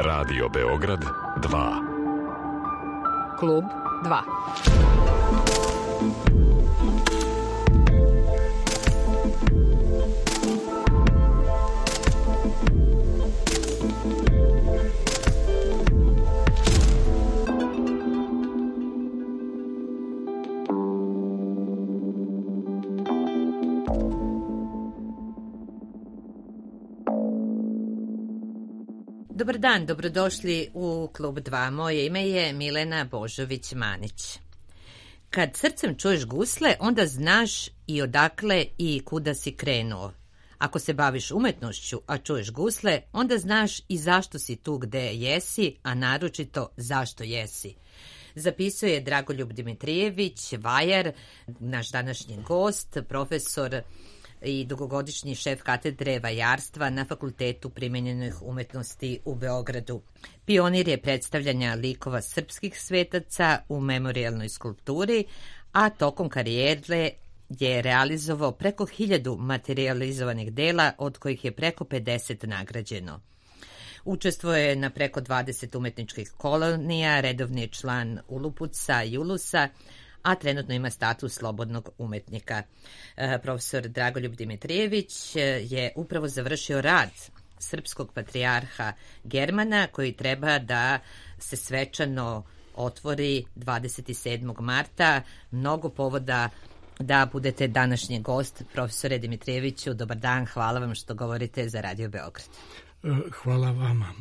Radio Beograd 2. Klub 2. Dobar dan, dobrodošli u Klub 2. Moje ime je Milena Božović-Manić. Kad srcem čuješ gusle, onda znaš i odakle i kuda si krenuo. Ako se baviš umetnošću, a čuješ gusle, onda znaš i zašto si tu gde jesi, a naročito zašto jesi. Zapisuje Dragoljub Dimitrijević, vajar, naš današnji gost, profesor i dugogodišnji šef katedre vajarstva na Fakultetu primenjenih umetnosti u Beogradu. Pionir je predstavljanja likova srpskih svetaca u memorijalnoj skulpturi, a tokom karijere je realizovao preko 1000 materializovanih dela, od kojih je preko 50 nagrađeno. Učestvuje je na preko 20 umetničkih kolonija, redovni je član Ulupuca i Ulusa, a trenutno ima status slobodnog umetnika. Profesor Dragoljub Dimitrijević je upravo završio rad srpskog patrijarha Germana, koji treba da se svečano otvori 27. marta. Mnogo povoda da budete današnji gost. Profesore Dimitrijeviću, dobar dan, hvala vam što govorite za Radio Beograd. Hvala vama,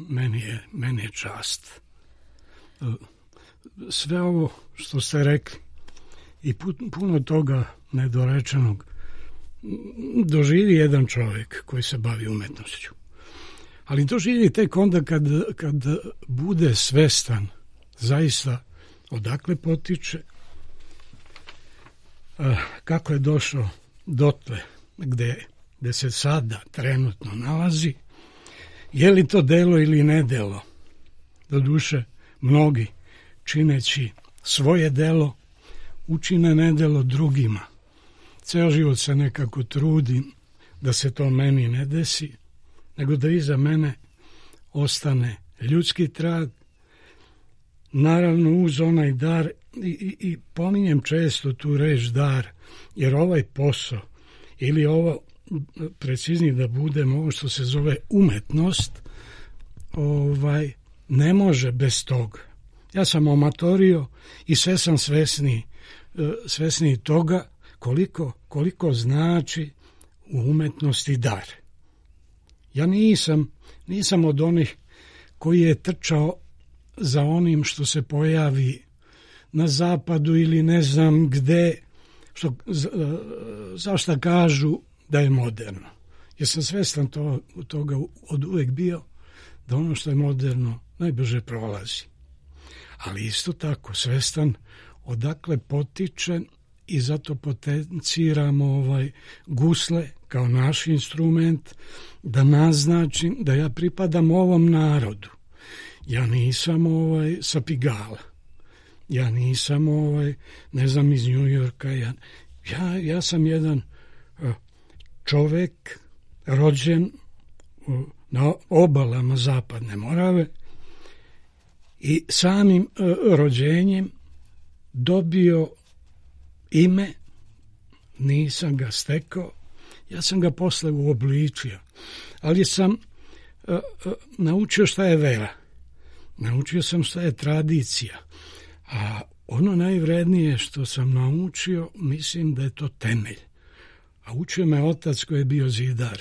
meni je čast. Sve ovo što ste rekli i puno toga nedorečenog doživi jedan čovjek koji se bavi umetnošću. Ali doživi tek onda kad bude svestan zaista odakle potiče, kako je došao dotle gde se sada trenutno nalazi, je li to delo ili ne delo. Doduše, mnogi čineći svoje delo učine nedelo drugima. Ceo život se nekako trudim da se to meni ne desi, nego da iza mene ostane ljudski trag, naravno uz onaj dar, i pominjem često tu reč dar, jer ovaj posao, ili ovo, preciznije da budem, ovo što se zove umetnost, ne može bez toga. Ja sam amatorio i sve sam svesniji toga koliko znači u umetnosti dar. Ja nisam od onih koji je trčao za onim što se pojavi na zapadu ili ne znam gde, zašto kažu da je moderno. Jer sam svestan toga od uvek bio, da ono što je moderno najbrže prolazi. Ali isto tako svestan odakle potiče i zato potenciramo gusle kao naš instrument, da naznačim da ja pripadam ovom narodu. Ja nisam sa Pigala. Ja nisam ne znam, iz New Yorka. Ja sam jedan čovek rođen na obalama Zapadne Morave i samim rođenjem dobio ime, nisam ga stekao, ja sam ga posle uobličio, ali sam naučio šta je vera, naučio sam šta je tradicija, a ono najvrednije što sam naučio, mislim da je to temelj. A učio me otac koji je bio zidar,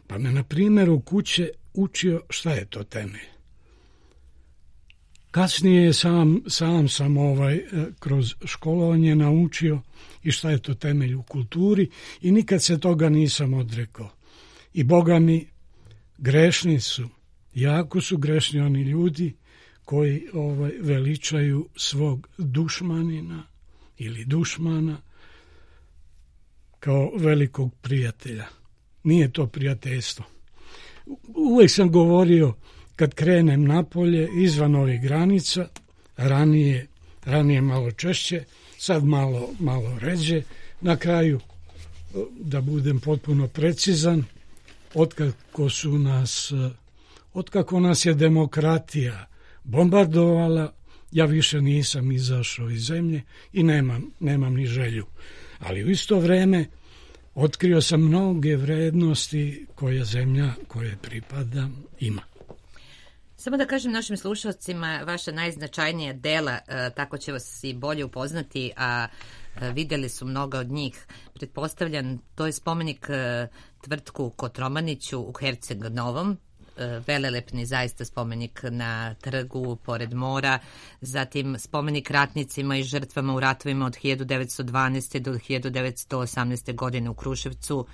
pa me na primjeru kuće učio šta je to temelj. Kasnije sam kroz školovanje naučio i šta je to temelj u kulturi i nikad se toga nisam odrekao. I Boga mi, grešni su, jako su grešni oni ljudi koji veličaju svog dušmanina ili dušmana kao velikog prijatelja. Nije to prijateljstvo. Uvijek sam govorio, kad krenem napolje, izvan ovih granica, ranije malo češće, sad malo ređe, na kraju, da budem potpuno precizan, otkako su nas otkako nas je demokratija bombardovala, ja više nisam izašao iz zemlje i nemam ni želju. Ali u isto vrijeme otkrio sam mnoge vrednosti koje zemlja koje pripada ima. Samo da kažem našim slušalcima, vaša najznačajnija dela, tako će vas i bolje upoznati, a vidjeli su mnoga od njih. Pretpostavljam, to je spomenik tvrtku Kotromaniću u Herceg Novom, velelepni zaista spomenik na trgu pored mora, zatim spomenik ratnicima i žrtvama u ratovima od 1912. do 1918. godine u Kruševcu,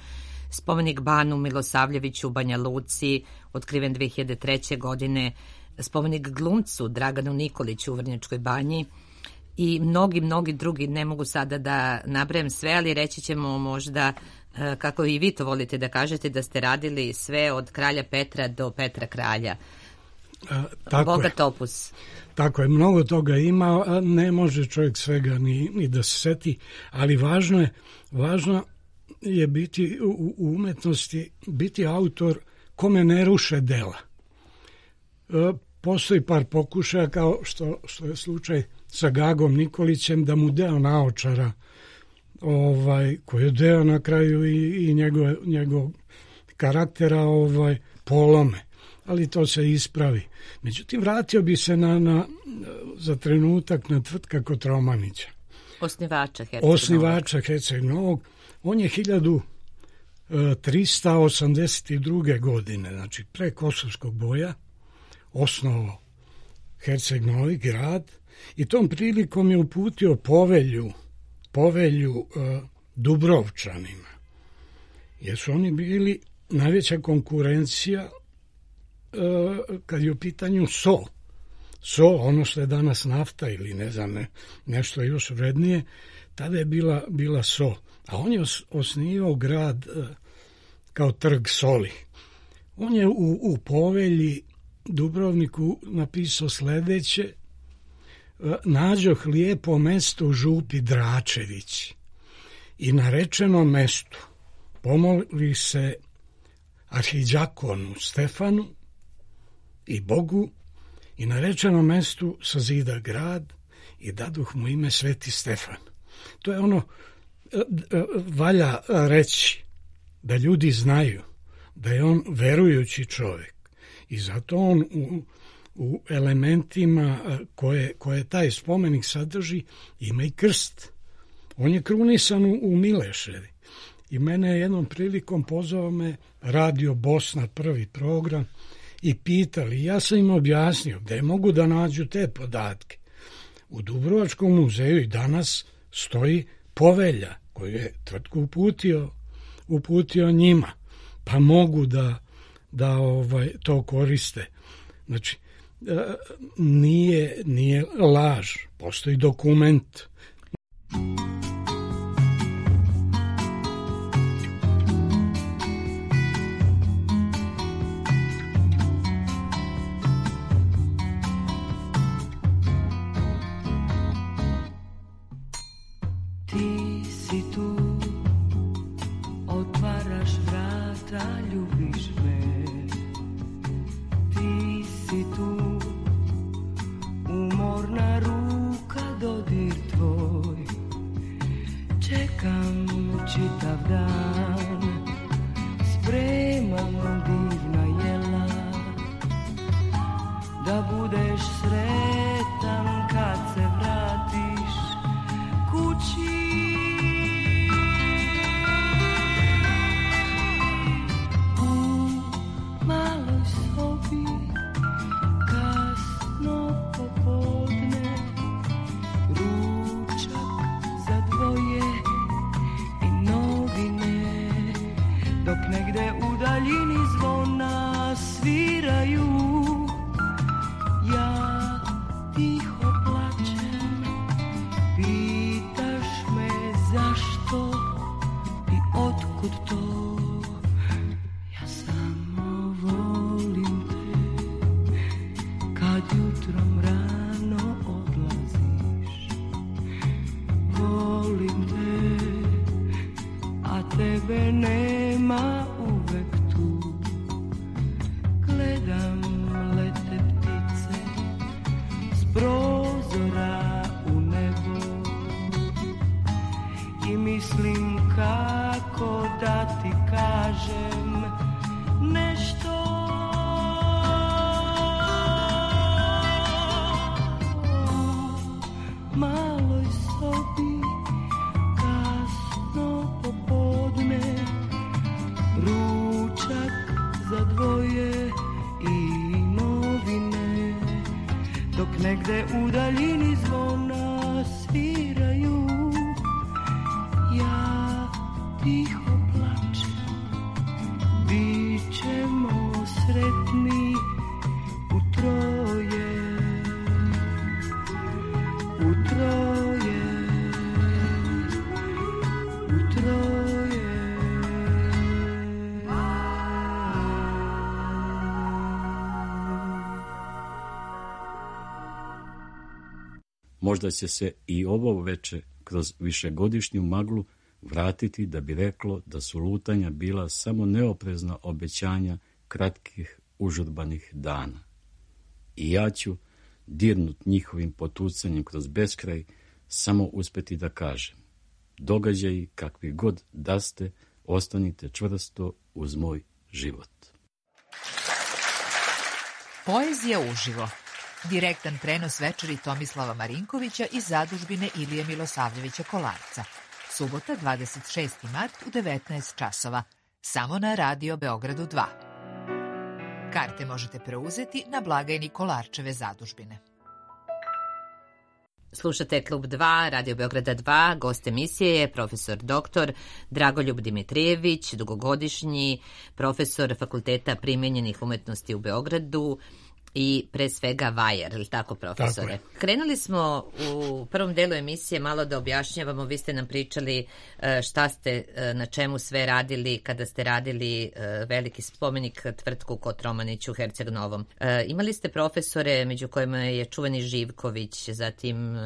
spomenik Banu Milosavljeviću u Banja Luci, otkriven 2003. godine, spomenik glumcu Draganu Nikoliću u Vrnjačkoj Banji i mnogi drugi, ne mogu sada da nabrajam sve, ali reći ćemo možda, kako i vi to volite da kažete, da ste radili sve od kralja Petra do Petra kralja. Bogat opus. Tako je, mnogo toga ima, ne može čovjek svega ni da se seti, ali važno je biti u umetnosti, biti autor kome ne ruše dela. Postoji par pokušaja, kao što je slučaj sa Gagom Nikolićem, da mu deo naočara, koji je deo na kraju i njegov karaktera polome, ali to se ispravi. Međutim, vratio bi se za trenutak na tvrtka Kotromanića. Osnivača Herceg Novog. On je 1382. godine, znači pre Kosovskog boja, osnovao Herceg Novi grad i tom prilikom je uputio povelju Dubrovčanima, jer su oni bili najveća konkurencija kad je u pitanju sol, ono što je danas nafta ili ne znam, nešto još vrednije, tada je bila sol. A on je osnivao grad kao trg soli. On je u povelji Dubrovniku napisao sljedeće: nađoh lijepo mesto u župi Dračević i na rečenom mestu pomoli se arhidjakonu Stefanu i Bogu i na rečenom mestu sazida grad i daduh mu ime Sveti Stefan. To je ono, valja reći da ljudi znaju da je on verujući čovjek i zato on u elementima koje taj spomenik sadrži ima i krst. On je krunisan u Mileševi i mene je jednom prilikom pozvao me Radio Bosna, prvi program, i pitali, ja sam im objasnio gdje mogu da nađu te podatke. U Dubrovačkom muzeju i danas stoji povelja koju je tvrtku uputio njima, pa mogu da to koriste. Znači, nije laž, postoji dokument. Tebe nema uvek tu, gledam mislim kako da ti kažem nešto. U maloj sobi kasno popodne, ručak za dvoje i novine, dok negde u daljini zvona sviraju, ja tiho plačem. Bićemo sretni u troje, u troje, u troje. Možda će se i ovo veče kroz višegodišnju maglu vratiti da bi reklo da su lutanja bila samo neoprezna obećanja kratkih užurbanih dana. I ja ću, dirnut njihovim potucanjem kroz beskraj, samo uspeti da kažem: događaji kakvi god da ste, ostanite čvrsto uz moj život. Poezija uživo. Direktan prenos večeri Tomislava Marinkovića iz zadužbine Ilije Milosavljevića Kolarca. Subota, 26. mart u 19 časova. Samo na Radio Beogradu 2. Karte možete preuzeti na blagajni Kolarčeve zadužbine. Slušate Klub 2, Radio Beograda 2, gost emisije je profesor dr. Dragoljub Dimitrijević, dugogodišnji profesor Fakulteta primenjenih umetnosti u Beogradu i pre svega vajer, ili tako, profesore? Tako. Krenuli smo u prvom delu emisije malo da objašnjavamo, vi ste nam pričali šta ste, na čemu sve radili kada ste radili veliki spomenik tvrtku Kotromanić u Herceg Novom. Imali ste profesore među kojima je čuveni Živković, zatim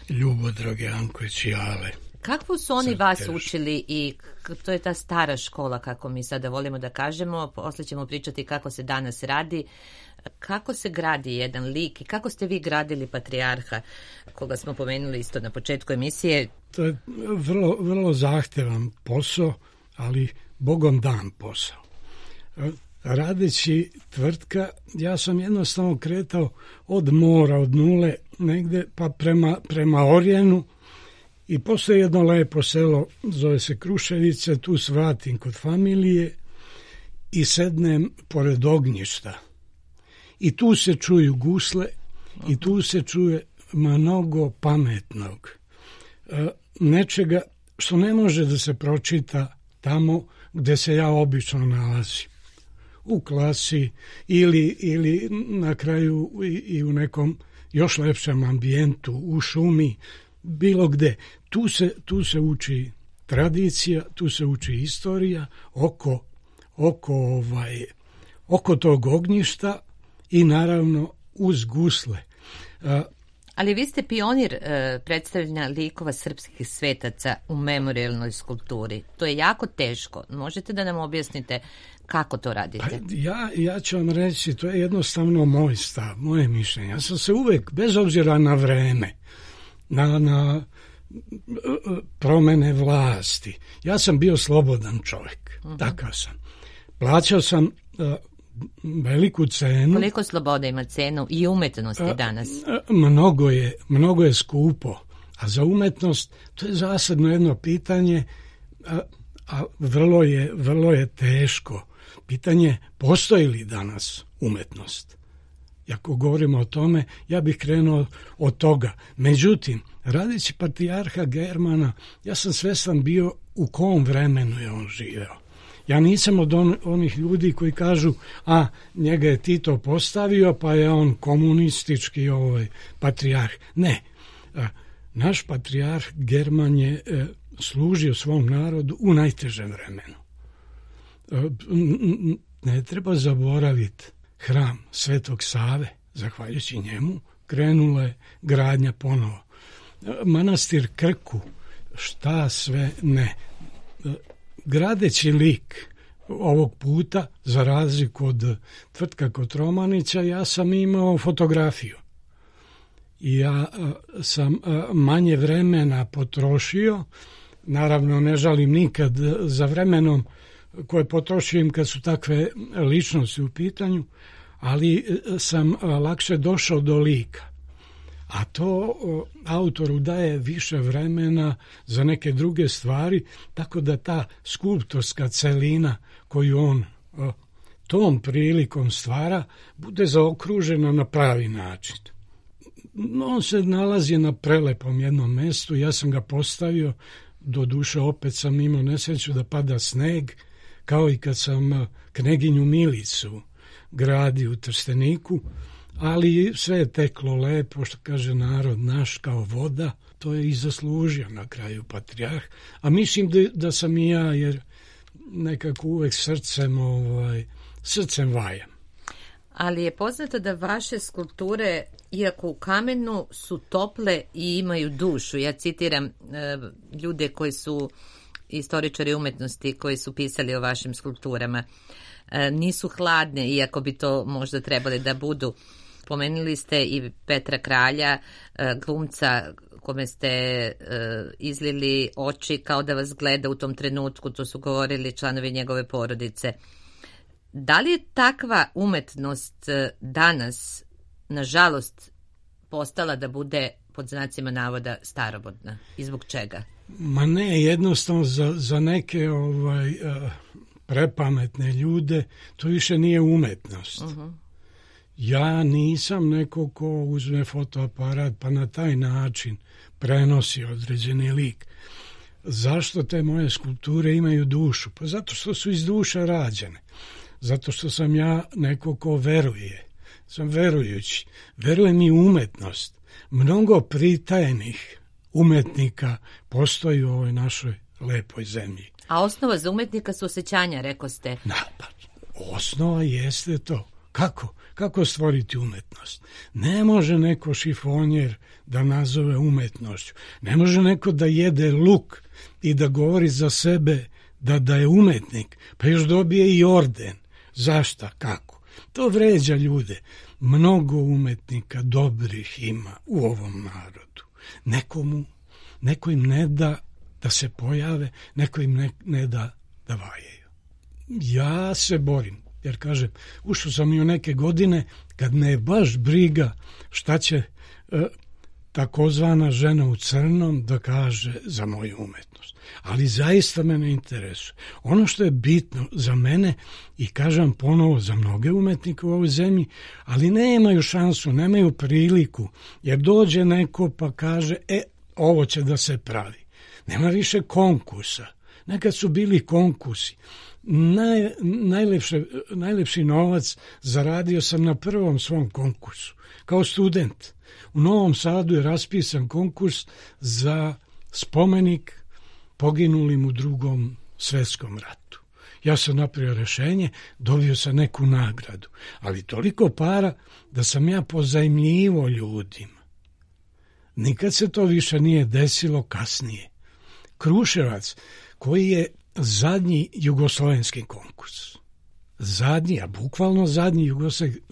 Ljubodrag Janković i Ale. Kako su oni vas učili i to je ta stara škola, kako mi sada volimo da kažemo, posle ćemo pričati kako se danas radi. Kako se gradi jedan lik i kako ste vi gradili patrijarha, koga smo pomenuli isto na početku emisije? To je vrlo, vrlo zahtevan posao, ali Bogom dan posao. Radeći tvrtka, ja sam jednostavno kretao od mora, od nule, negde pa prema Orjenu, i postoje jedno lepo selo, zove se Kruševice, tu svratim kod familije i sednem pored ognjišta. I tu se čuju gusle i tu se čuje mnogo pametnog. Nečega što ne može da se pročita tamo gde se ja obično nalazim. U klasi ili na kraju i u nekom još lepšem ambijentu, u šumi, bilo gde. Tu se uči tradicija, tu se uči istorija oko tog ognjišta i naravno uz gusle. Ali vi ste pionir predstavljanja likova srpskih svetaca u memorijalnoj skulpturi. To je jako teško. Možete da nam objasnite kako to radite? Ja ću vam reći, to je jednostavno moj stav, moje mišljenje. Ja sam se uvek, bez obzira na vreme, na promene vlasti, ja sam bio slobodan čovjek. Takav sam. Plaćao sam veliku cenu. Koliko slobode ima cenu i umetnosti danas? Mnogo je skupo, a za umetnost to je zasadno jedno pitanje, a vrlo je teško. Pitanje, postoji li danas umetnost? Ako govorimo o tome, ja bih krenuo od toga. Međutim, radeći patrijarha Germana, ja sam svestan bio u kom vremenu je on živeo. Ja nisam od onih ljudi koji kažu, njega je Tito postavio, pa je on komunistički patrijarh. Ne, naš patrijarh German je služio svom narodu u najtežem vremenu. Ne treba zaboraviti hram Svetog Save, zahvaljujući njemu, krenula je gradnja ponovo. Manastir Krku, šta sve ne. Gradeći lik ovog puta, za razliku od tvrtka Kotromanića, ja sam imao fotografiju. I ja sam manje vremena potrošio, naravno ne žalim nikad za vremenom koje potrošim kad su takve ličnosti u pitanju, ali sam lakše došao do lika. A to autoru daje više vremena za neke druge stvari, tako da ta skulptorska celina koju on tom prilikom stvara bude zaokružena na pravi način. On se nalazi na prelepom jednom mestu, ja sam ga postavio, doduše opet sam imao nesreću da pada sneg, kao i kad sam Kneginju Milicu gradio u Trsteniku, ali sve je teklo lepo, što kaže narod naš, kao voda. To je i zaslužio na kraju patrijarh, a mislim da sam i ja, jer nekako uvek srcem vajam. Ali je poznato da vaše skulpture, iako u kamenu, su tople i imaju dušu. Ja citiram ljude koji su istoričari umetnosti, koji su pisali o vašim skulpturama. Nisu hladne, iako bi to možda trebali da budu. Pomenuli ste i Petra Kralja, glumca kome ste izlili oči kao da vas gleda u tom trenutku, to su govorili članovi njegove porodice. Da li je takva umetnost danas, nažalost, postala da bude, pod znacima navoda, staromodna? I zbog čega? Ma ne, jednostavno za neke prepametne ljude to više nije umetnost. Ja nisam neko ko uzme fotoaparat pa na taj način prenosi određeni lik. Zašto te moje skulpture imaju dušu? Pa zato što su iz duše rađene. Zato što sam ja neko ko veruje. Sam verujući. Verujem i umetnost. Mnogo pritajenih umetnika postoji u ovoj našoj lepoj zemlji. A osnova za umetnika su osjećanja, rekao ste. Osnova jeste to. Kako stvoriti umetnost? Ne može neko šifonjer da nazove umetnošću. Ne može neko da jede luk i da govori za sebe da je umetnik, pa još dobije i orden. Zašta? Kako? To vređa ljude. Mnogo umetnika dobrih ima u ovom narodu. Neko im ne da se pojave, neko im ne da vajaju. Ja se borim, jer kažem, ušao sam i u neke godine kad me je baš briga šta će takozvana žena u crnom da kaže za moju umetnost. Ali zaista me ne interesuje. Ono što je bitno za mene, i kažem ponovo za mnoge umetnike u ovoj zemlji, ali nemaju šansu, nemaju priliku, jer dođe neko pa kaže, ovo će da se pravi. Nema više konkursa. Nekad su bili konkursi. Najlepši novac zaradio sam na prvom svom konkursu. Kao student. U Novom Sadu je raspisan konkurs za spomenik poginulim u Drugom svjetskom ratu. Ja sam napravio rješenje, dobio sam neku nagradu. Ali toliko para da sam ja pozajmljivo ljudima. Nikad se to više nije desilo kasnije. Kruševac, koji je zadnji jugoslovenski konkurs. Zadnji, a bukvalno zadnji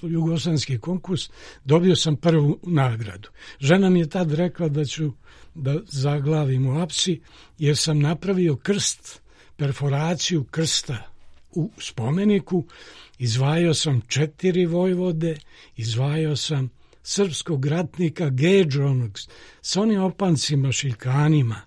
jugoslovenski konkurs, dobio sam prvu nagradu. Žena mi je tad rekla da ću da zaglavim u apsi, jer sam napravio krst, perforaciju krsta u spomeniku, izvajao sam 4 vojvode, izvajao sam srpskog ratnika Gedžu, onog s onim opancima, šiljkanima,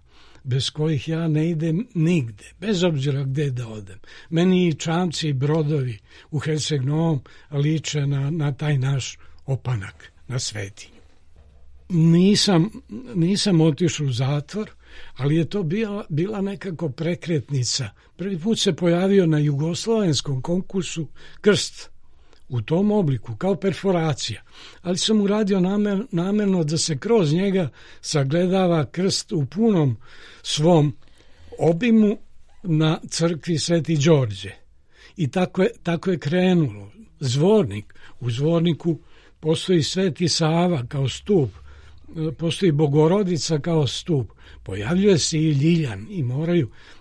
bez kojih ja ne idem nigde, bez obzira gde da odem. Meni i čamci i brodovi u Herceg Novom liče na taj naš opanak na Svetinju. Nisam otišao u zatvor, ali je to bila nekako prekretnica. Prvi put se pojavio na jugoslovenskom konkursu krst u tom obliku, kao perforacija. Ali sam uradio namerno da se kroz njega sagledava krst u punom svom obimu na crkvi Sveti Đorđe. I tako je krenulo. Zvornik. U zvorniku postoji Sveti Sava kao stup, postoji Bogorodica kao stup. Pojavljuje se i Ljiljan i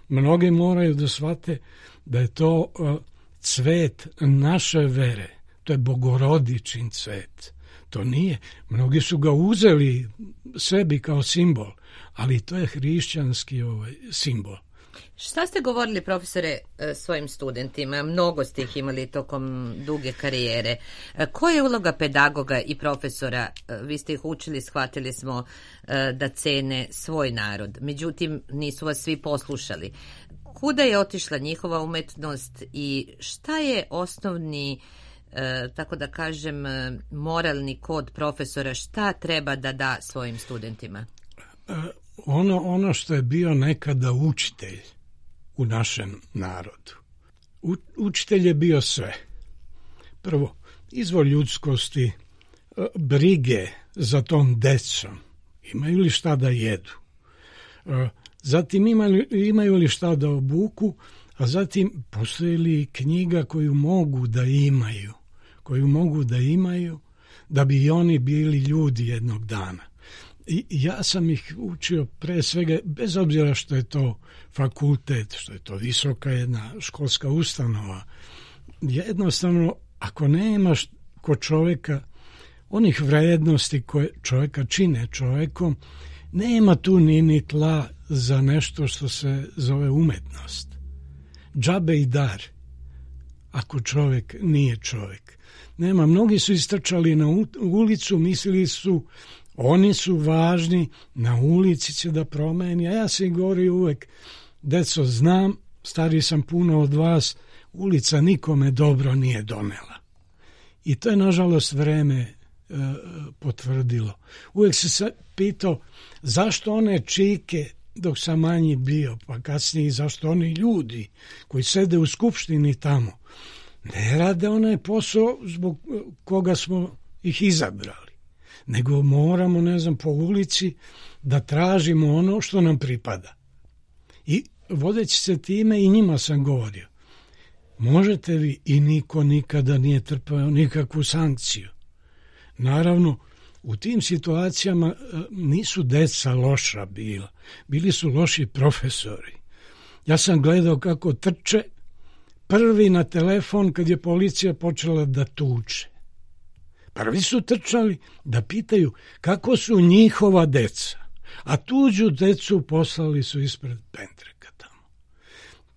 mnogi moraju da shvate da je to cvet naše vere. To je Bogorodičin cvet. To nije. Mnogi su ga uzeli sebi kao simbol, ali to je hrišćanski simbol. Šta ste govorili, profesore, svojim studentima? Mnogo ste ih imali tokom duge karijere. Koja je uloga pedagoga i profesora? Vi ste ih učili, shvatili smo da cene svoj narod. Međutim, nisu vas svi poslušali. Kuda je otišla njihova umetnost i šta je osnovni, tako da kažem, moralni kod profesora? Šta treba da da svojim studentima? Ono što je bio nekada učitelj u našem narodu. Učitelj je bio sve. Prvo, izvor ljudskosti, brige za tom decom. Imaju li šta da jedu? Zatim imaju li šta da obuku, a zatim postoji li knjiga koju mogu da imaju da bi i oni bili ljudi jednog dana. I ja sam ih učio pre svega, bez obzira što je to fakultet, što je to visoka jedna školska ustanova, jednostavno ako nemaš kod čovjeka onih vrednosti koje čovjeka čine čovjekom, nema tu ni tla za nešto što se zove umetnost. Džabe i dar, ako čovjek nije čovjek. Nema, mnogi su istrčali na ulicu, mislili su oni su važni, na ulici će da promeni, a ja sam govorio uvek, deco, znam, stariji sam puno od vas, ulica nikome dobro nije donela. I to je, nažalost, vreme potvrdilo. Uvek se pitao zašto one čike dok sam manji bio, pa kasnije zašto oni ljudi koji sede u skupštini tamo ne rade onaj posao zbog koga smo ih izabrali, nego moramo, po ulici da tražimo ono što nam pripada. I vodeći se time i njima sam govorio, možete vi, i niko nikada nije trpeo nikakvu sankciju. Naravno, u tim situacijama nisu deca loša bila, bili su loši profesori. Ja sam gledao kako trče prvi na telefon kad je policija počela da tuče. Prvi su trčali da pitaju kako su njihova deca, a tuđu decu poslali su ispred pendreka tamo.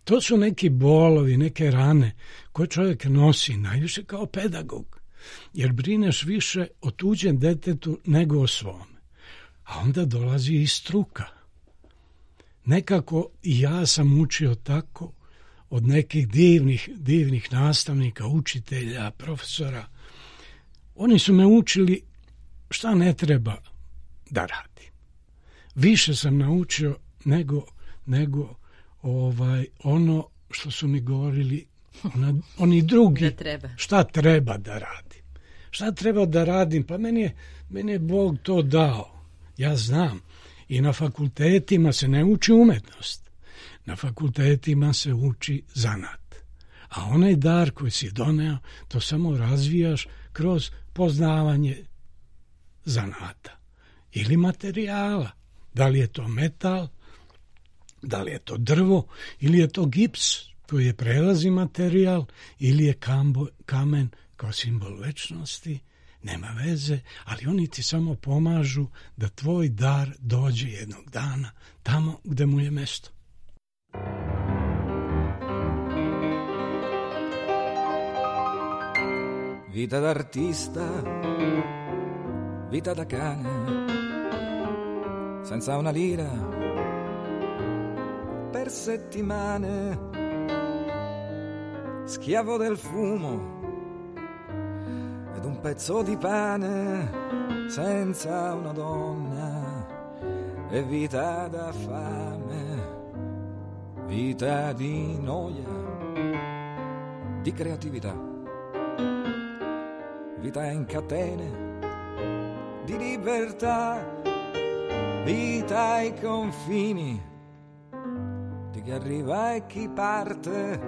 To su neki bolovi, neke rane koje čovjek nosi najviše kao pedagog, jer brineš više o tuđem detetu nego o svome. A onda dolazi i struka. Nekako i ja sam učio tako od nekih divnih nastavnika, učitelja, profesora. Oni su me učili šta ne treba da radim. Više sam naučio nego ono što su mi govorili oni drugi, šta treba da radim. Šta treba da radim? Pa meni je Bog to dao. Ja znam. I na fakultetima se ne uči umetnost. Na fakultetima se uči zanat. A onaj dar koji si doneo, to samo razvijaš kroz poznavanje zanata ili materijala. Da li je to metal, da li je to drvo ili je to gips koji je prelazni materijal ili je kamen kao simbol večnosti, nema veze, ali oni ti samo pomažu da tvoj dar dođe jednog dana tamo gde mu je mesto. Vita d'artista, vita da cane, senza una lira, per settimane, schiavo del fumo ed un pezzo di pane, senza una donna, e vita da fame, vita di noia, di creatività. Vita in catene di libertà, vita ai confini di chi arriva e chi parte,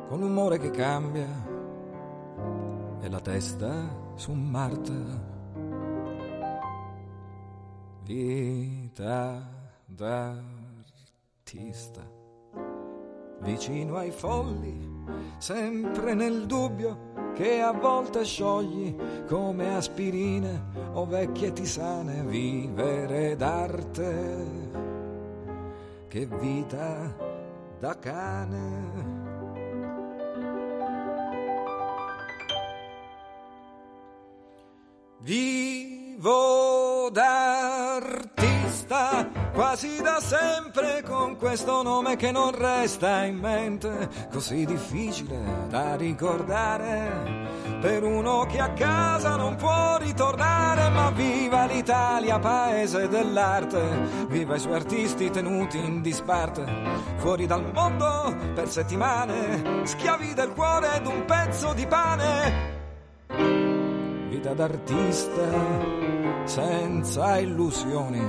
con l'umore che cambia e la testa su Marte. Vita d'artista, vicino ai folli, sempre nel dubbio, che a volte sciogli come aspirine o vecchie tisane. Vivere d'arte, che vita da cane. Vivo d'artista quasi da sempre, con questo nome che non resta in mente, così difficile da ricordare per uno che a casa non può ritornare. Ma viva l'Italia, paese dell'arte, viva i suoi artisti tenuti in disparte, fuori dal mondo per settimane, schiavi del cuore ed un pezzo di pane. Vita d'artista senza illusioni,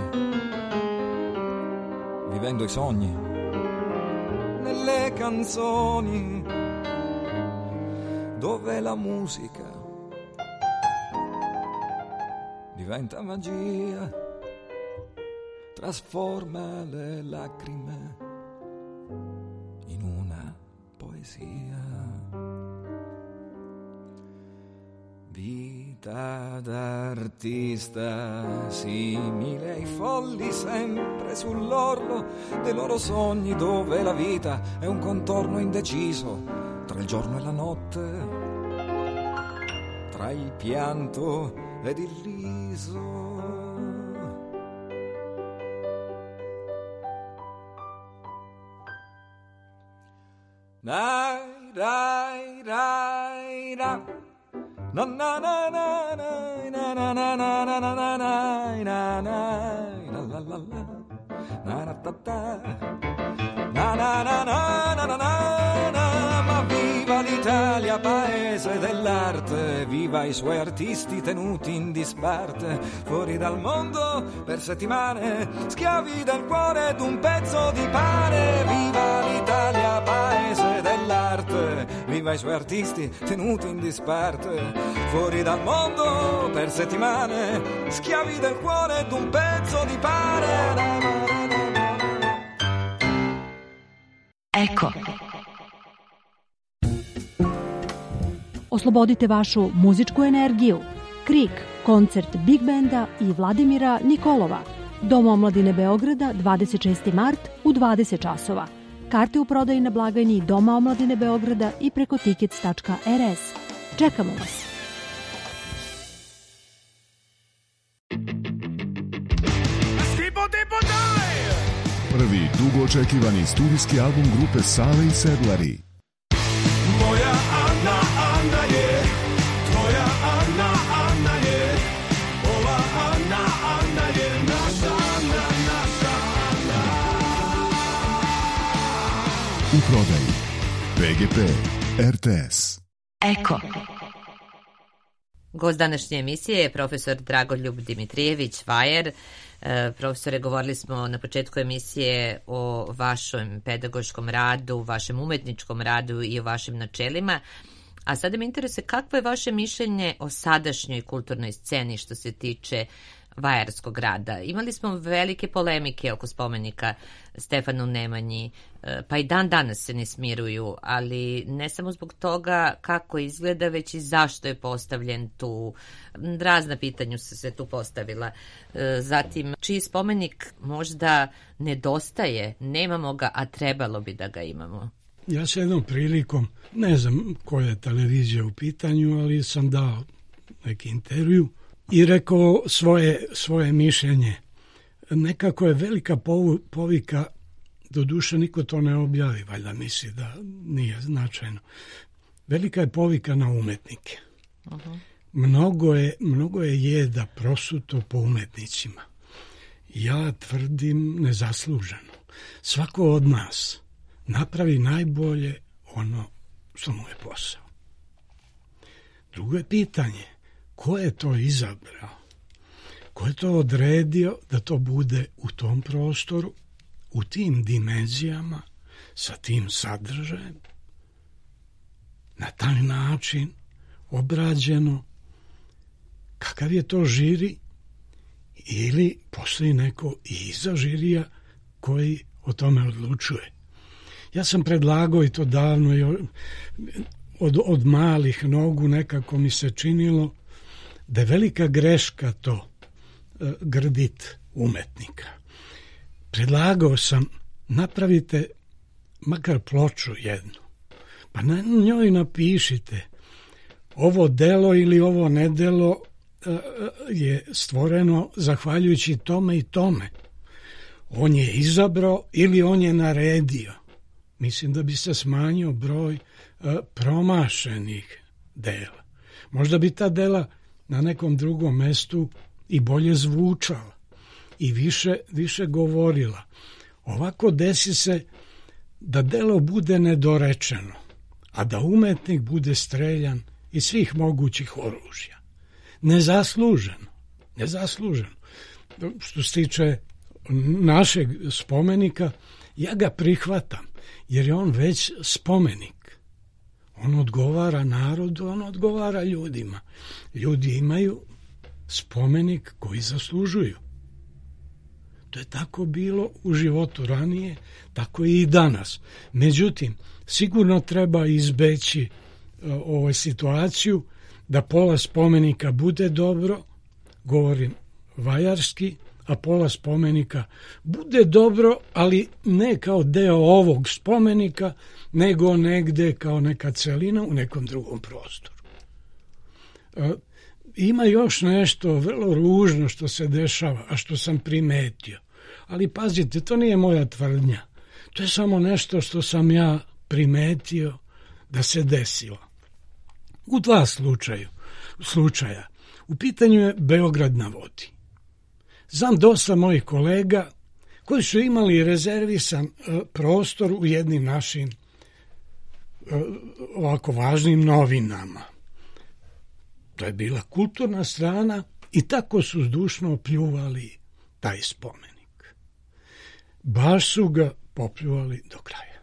vivendo i sogni nelle canzoni, dove la musica diventa magia, trasforma le lacrime in una poesia. Vita d'artista simile ai folli, sempre sull'orlo dei loro sogni, dove la vita è un contorno indeciso tra il giorno e la notte, tra il pianto ed il riso. Dai, dai, dai, dai. Na na na na na na na na na na na na na na la la la na na ta ta na na na na na na na. Ma viva l'Italia, paese dell'arte, viva i suoi artisti tenuti in disparte, fuori dal mondo per settimane, schiavi del cuore ed un pezzo di pane. Viva l'Italia, paese dell'arte, viva i suoi artisti tenuti in disparte, fuori dal mondo per settimane, schiavi del cuore ed un pezzo di pane. Eko. Oslobodite vašu muzičku energiju. Krik, koncert Big Benda i Vladimira Nikolova. Dom omladine Beograda, 26. mart u 20 časova. Karte u prodaji na blagajni Doma omladine Beograda i preko tickets.rs. Čekamo vas! Prvi dugo očekivani studijski album grupe Sale i Sedlari. Moja Ana, Ana je, tvoja Ana, Ana je, ova Ana, Ana je, naša Ana, naša Ana. U prodaji PGP RTS. Eko. Gost današnje emisije je profesor Dragoljub Dimitrijević Vajer. Profesore, govorili smo na početku emisije o vašem pedagoškom radu, vašem umetničkom radu i o vašim načelima. A sada me interesuje kakvo je vaše mišljenje o sadašnjoj kulturnoj sceni što se tiče vajarskog rada. Imali smo velike polemike oko spomenika Stefanu Nemanji, pa i dan danas se ne smiruju, ali ne samo zbog toga kako izgleda, već i zašto je postavljen tu. Razna pitanja su se tu postavila. Zatim, čiji spomenik možda nedostaje, nemamo ga, a trebalo bi da ga imamo. Ja se jednom prilikom, ne znam koja je televizija u pitanju, ali sam dao neki intervju i rekao svoje mišljenje. Nekako je velika povika, doduše niko to ne objavi, valjda misli da nije značajno. Velika je povika na umetnike. Uh-huh. Mnogo je jeda prosuto po umetnicima. Ja tvrdim nezasluženo. Svako od nas napravi najbolje ono što mu je posao. Drugo je pitanje, ko je to izabrao? Ko je to odredio da to bude u tom prostoru, u tim dimenzijama, sa tim sadržajem, na taj način obrađeno? Kakav je to žiri? Ili postoji neko iza žirija koji o tome odlučuje? Ja sam predlagao i to davno, od malih nogu nekako mi se činilo da je velika greška to grdit umetnika. Predlagao sam, napravite makar ploču jednu, pa na njoj napišite ovo delo ili ovo nedelo je stvoreno zahvaljujući tome i tome. On je izabrao ili on je naredio. Mislim da bi se smanjio broj promašenih dela. Možda bi ta dela na nekom drugom mestu i bolje zvučala i više govorila. Ovako desi se da delo bude nedorečeno, a da umetnik bude streljan iz svih mogućih oružja. Nezasluženo. Što se tiče našeg spomenika, ja ga prihvatam, jer je on već spomenik. On odgovara narodu, on odgovara ljudima. Ljudi imaju spomenik koji zaslužuju. To je tako bilo u životu ranije, tako i danas. Međutim, sigurno treba izbeći situaciju da pola spomenika bude dobro, govorim vajarski, a pola spomenika bude dobro, ali ne kao deo ovog spomenika, nego negde kao neka celina u nekom drugom prostoru. Ima još nešto vrlo ružno što se dešava, a što sam primetio. Ali pazite, to nije moja tvrdnja. To je samo nešto što sam ja primetio da se desilo. U dva slučaja. U pitanju je Beograd na vodi. Znam dosta mojih kolega koji su imali rezervisan prostor u jednim našim ovako važnim novinama. To je bila kulturna strana i tako su zdušno pljuvali taj spomenik. Baš su ga popljuvali do kraja.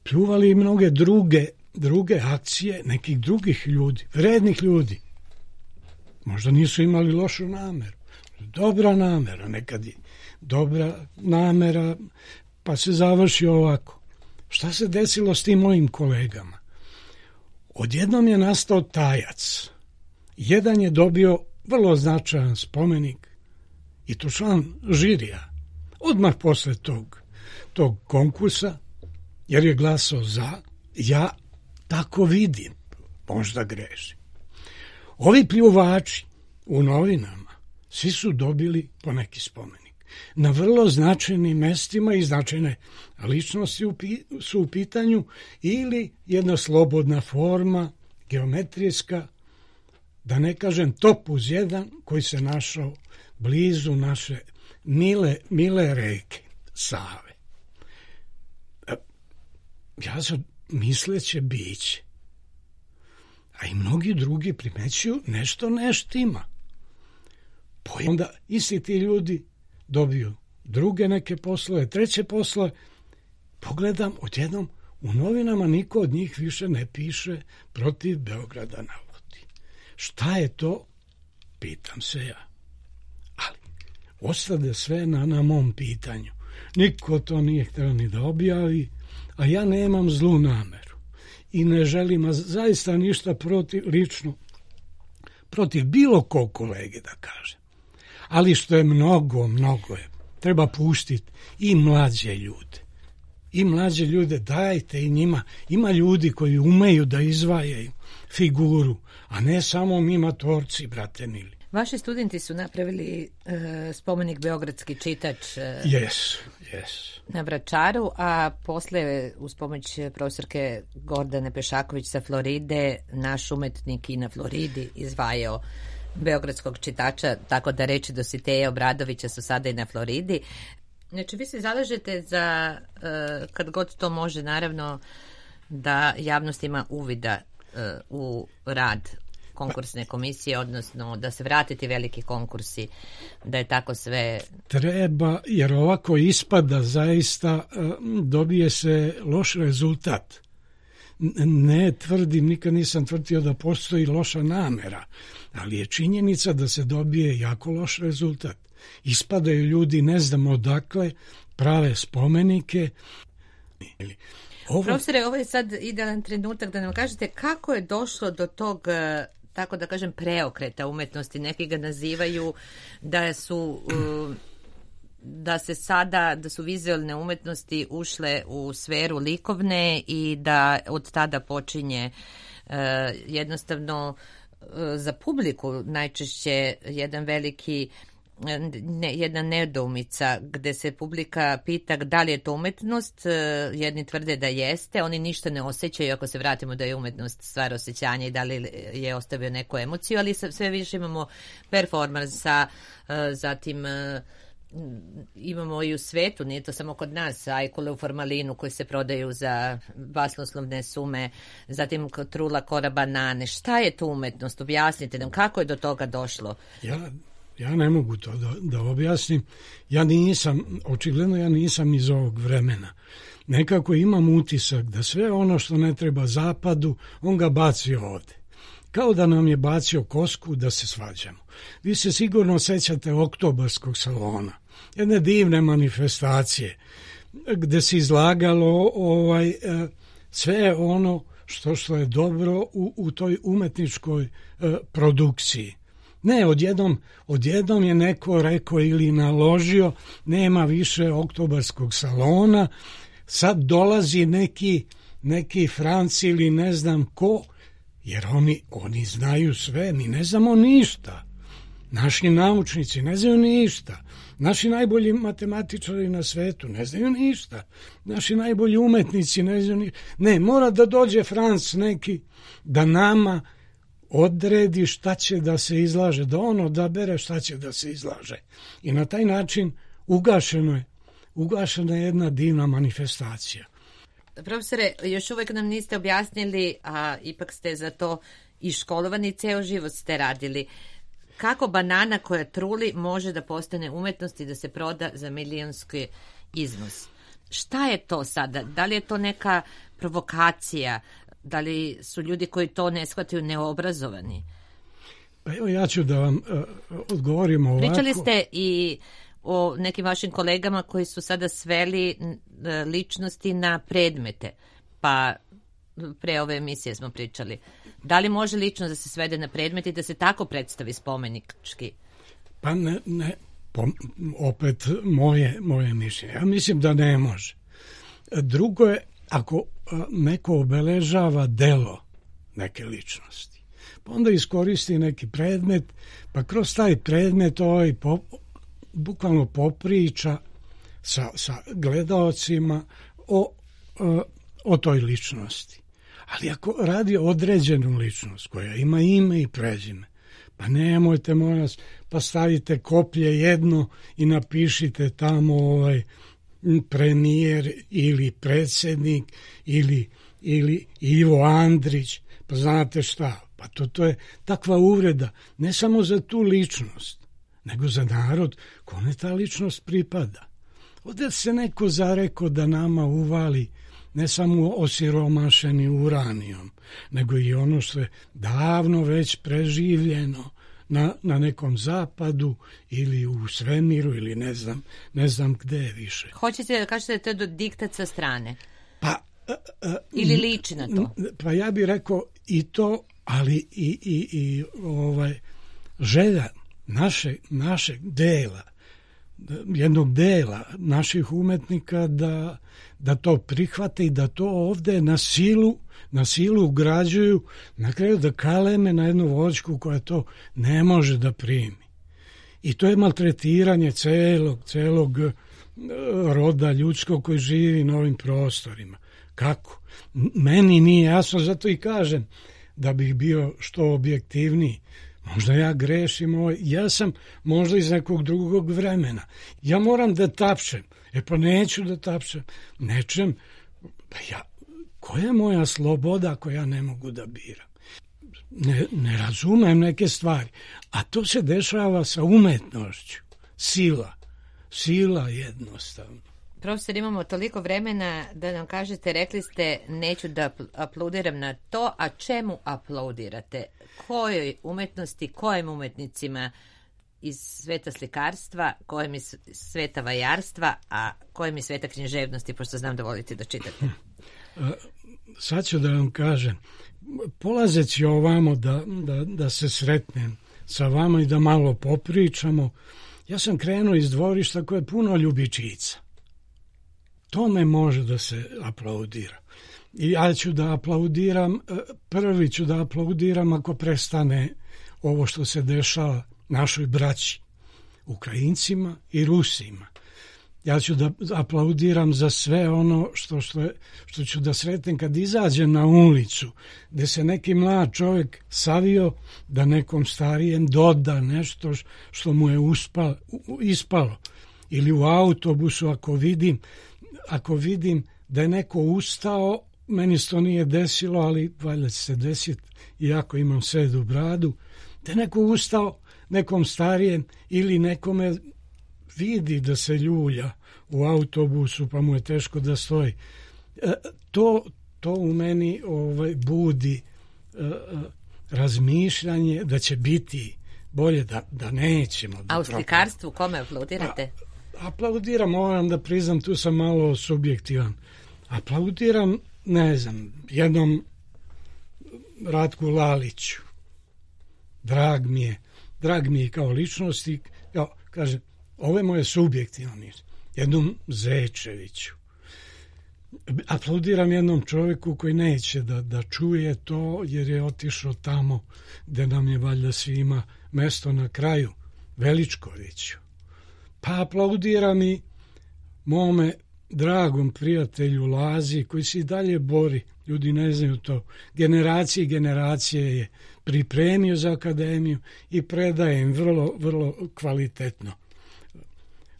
Pljuvali i mnoge druge akcije nekih drugih ljudi, vrednih ljudi. Možda nisu imali lošu nameru. Dobra namera, nekad je dobra namera, pa se završi ovako. Šta se desilo s tim mojim kolegama? Odjednom je nastao tajac. Jedan je dobio vrlo značajan spomenik i to član žirija. Odmah posle tog konkursa, jer je glasao za, ja tako vidim, možda grešim. Ovi pljuvači u novinama, svi su dobili po neki spomenik. Na vrlo značajnim mestima i značajne ličnosti su u pitanju ili jedna slobodna forma, geometrijska, da ne kažem top uz jedan, koji se našao blizu naše mile reke Save. Ja sam misleće biće, a i mnogi drugi primećuju nešto neštima. Onda isti ti ljudi dobiju druge neke poslove, treće poslove. Pogledam, odjednom u novinama niko od njih više ne piše protiv Beograda na vodi. Šta je to? Pitam se ja. Ali ostade sve na mom pitanju. Niko to nije htio ni da objavi, a ja nemam zlu nameru i ne želim zaista ništa lično protiv bilo kog kolege da kažem. Ali što je mnogo je, treba pustiti i mlađe ljude. I mlađe ljude dajte i njima. Ima ljudi koji umeju da izvajaju figuru, a ne samo mi matorci, brate mili. Vaši studenti su napravili spomenik Beogradski čitač yes. na Vračaru, a posle uz pomoć profesorke Gordane Pešaković sa Floride, naš umetnik i na Floridi izvajao Beogradskog čitača, tako da reči Dositeja Obradovića su sada i na Floridi. Znači, vi se zalažete za, kad god to može, naravno, da javnost ima uvida u rad konkursne komisije, odnosno da se vratiti veliki konkursi, da je tako sve... Treba, jer ovako ispada zaista, dobije se loš rezultat. Ne tvrdim, nikad nisam tvrdio da postoji loša namera, ali je činjenica da se dobije jako loš rezultat. Ispadaju ljudi, ne znam odakle, prave spomenike. Profesore, ovo je sad idealan trenutak da nam kažete kako je došlo do tog, tako da kažem, preokreta umetnosti. Neki ga nazivaju da su vizualne umetnosti ušle u sferu likovne i da od tada počinje jednostavno za publiku najčešće jedna nedoumica gde se publika pita da li je to umetnost, jedni tvrde da jeste, oni ništa ne osjećaju ako se vratimo da je umetnost stvar osjećanja i da li je ostavio neku emociju, ali sve više imamo performansa, zatim imamo i u svetu, nije to samo kod nas, ajkule u formalinu koji se prodaju za basnoslovne sume, zatim trula kora banane. Šta je to umetnost? Objasnite nam kako je do toga došlo. Ja ne mogu to da objasnim. Očigledno ja nisam iz ovog vremena. Nekako imam utisak da sve ono što ne treba zapadu, on ga baci ovde. Kao da nam je bacio kosku da se svađamo. Vi se sigurno sećate oktobarskog salona, jedne divne manifestacije, gde se izlagalo sve ono što je dobro u toj umetničkoj produkciji. Ne, odjednom je neko rekao ili naložio, nema više oktobarskog salona, sad dolazi neki Franci ili ne znam ko, jer oni znaju sve, mi ne znamo ništa. Naši naučnici ne znaju ništa. Naši najbolji matematičari na svetu ne znaju ništa. Naši najbolji umetnici ne znaju ništa. Ne, mora da dođe Franc neki da nama odredi šta će da se izlaže, da on odabere šta će da se izlaže. I na taj način ugašena je jedna divna manifestacija. Profesore, još uvek nam niste objasnili, a ipak ste za to i školovani, ceo život ste radili. Kako banana koja truli može da postane umetnost i da se proda za milionski iznos? Šta je to sada? Da li je to neka provokacija? Da li su ljudi koji to ne shvataju neobrazovani? Pa evo ja ću da vam odgovorim ovako. Pričali ste i o nekim vašim kolegama koji su sada sveli ličnosti na predmete. Pa pre ove emisije smo pričali. Da li može ličnost da se svede na predmet i da se tako predstavi spomenički? Pa ne, opet moje mišljenje. Ja mislim da ne može. Drugo je, ako neko obeležava delo neke ličnosti, pa onda iskoristi neki predmet, pa kroz taj predmet bukvalno popriča sa gledaocima o toj ličnosti. Ali ako radi određenu ličnost koja ima ime i prezime, pa nemojte molim vas, pa stavite koplje jedno i napišite tamo premijer ili predsjednik ili Ivo Andrić, pa znate šta, pa to je takva uvreda, ne samo za tu ličnost, nego za narod kome ta ličnost pripada. Ovdje se neko zareko da nama uvali ne samo osiromašeni uranijom, nego i ono što je davno već preživljeno na nekom zapadu ili u svemiru ili ne znam gde je više. Hoćete da kažete da je to do diktat sa strane? Pa, ili liči na to? Pa ja bih rekao i to, ali i želja našeg dela, jednog dela naših umetnika da to prihvate i da to ovde na silu ugrađuju, na kraju da kaleme na jednu voćku koja to ne može da primi. I to je maltretiranje celog roda ljudskog koji živi na ovim prostorima. Kako? Meni nije jasno, zato i kažem da bih bio što objektivniji. Možda ja grešim, ja sam možda iz nekog drugog vremena. Ja moram da tapšem. Pa neću da tapšem. Nečem, koja je moja sloboda ako ja ne mogu da biram? Ne razumem neke stvari. A to se dešava sa umetnošću. Sila jednostavno. Profesor, imamo toliko vremena da nam kažete, rekli ste neću da aplaudiram na to, a čemu aplaudirate? Kojoj umetnosti, kojim umetnicima iz sveta slikarstva, kojim iz sveta vajarstva, a kojim iz sveta književnosti, pošto znam da volite da čitate? sad ću da vam kažem, polazeći ovamo da se sretnem sa vama i da malo popričamo, ja sam krenuo iz dvorišta koje je puno ljubičica. Tome može da se aplaudira. I ja ću da aplaudiram, prvi ću da aplaudiram ako prestane ovo što se dešava našoj braći, Ukrajincima i Rusima. Ja ću da aplaudiram za sve ono što ću da sretnem kad izađem na ulicu, gde se neki mlad čovjek savio da nekom starijem doda nešto što mu je ispalo. Ili u autobusu ako vidim da je neko ustao, meni se to nije desilo, ali valjda će se desiti, iako imam sedu bradu, da je neko ustao nekom starijem ili nekome vidi da se ljulja u autobusu pa mu je teško da stoji. To u meni budi razmišljanje da će biti bolje, da nećemo. A u slikarstvu kome aplaudirate? Aplaudiram, moram da priznam, tu sam malo subjektivan. Aplaudiram, ne znam, jednom Ratku Laliću. Drag mi je kao ličnosti, kažem, ovo je moje subjektivno, jednom Zečeviću. Aplaudiram jednom čovjeku koji neće da čuje to, jer je otišao tamo gde nam je valjda svima mesto na kraju, Veličkoviću. Pa aplaudiram i mome dragom prijatelju Lazi, koji se i dalje bori, ljudi ne znaju to, generacije je pripremio za akademiju i predaje im vrlo, vrlo kvalitetno.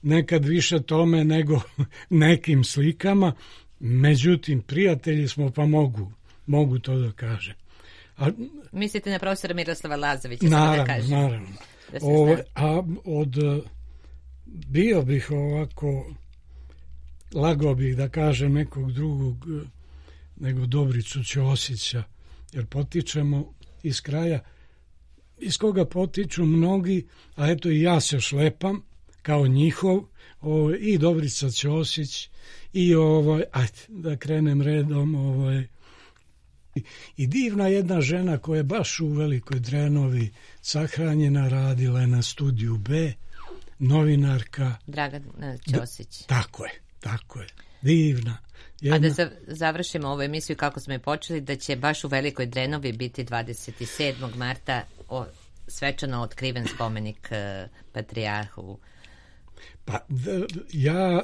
Nekad više tome nego nekim slikama, međutim, prijatelji smo pa mogu to da kažem. Mislite na profesora Miroslava Lazovića? Naravno. Bio bih ovako, lagao bih da kažem nekog drugog nego Dobricu Ćosića, jer potičemo iz kraja iz koga potiču mnogi, a eto i ja se šlepam kao njihov, i Dobrica Ćosić i ajde da krenem redom, i divna jedna žena koja je baš u Velikoj Drenovi sahranjena, radila je na Studiju B, novinarka Dragana Ćosić. Tako je, divna. A da završimo ovu emisiju kako smo je počeli, da će baš u Velikoj Drenovi biti 27. marta svečano otkriven spomenik patrijarhu. Pa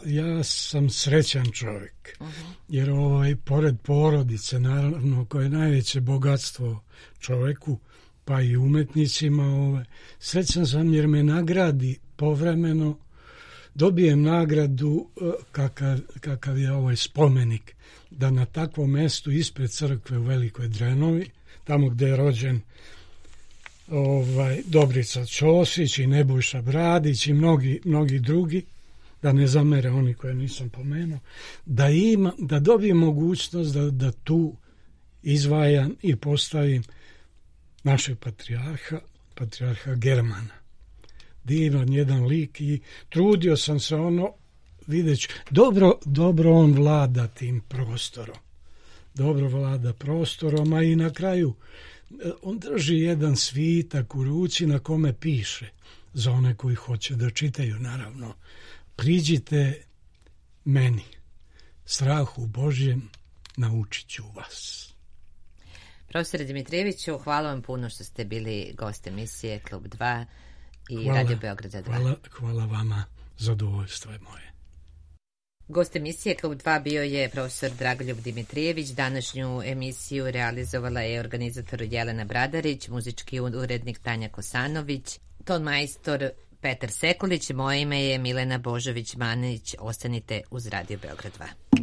ja sam srećan čovjek, jer pored porodice, naravno, koje je najveće bogatstvo čovjeku, pa i umetnicima, srećan sam jer me nagradi povremeno, dobijem nagradu kakav je ovaj spomenik, da na takvom mestu ispred crkve u Velikoj Drenovi, tamo gde je rođen Dobrica Ćosić i Nebojša Bradić i mnogi drugi, da ne zamere oni koje nisam pomenuo, da dobijem mogućnost da tu izdvajam i postavim našeg patrijarha Germana. Divan jedan lik i trudio sam se videći, dobro on vlada tim prostorom. Dobro vlada prostorom, a i na kraju on drži jedan svitak u ruci na kome piše, za one koji hoće da čitaju, naravno, priđite meni, strahu Božjem naučit ću vas. Profesore Dimitrijeviću, hvala vam puno što ste bili gost emisije Klub 2 i Radio Beograda 2. Hvala vama, zadovoljstvo je moje. Gost emisije Klub 2 bio je profesor Dragoljub Dimitrijević. Današnju emisiju realizovala je organizator Jelena Bradarić, muzički urednik Tanja Kosanović, ton majstor Petar Sekulić, moje ime je Milena Božović-Manić. Ostanite uz Radio Beograd 2.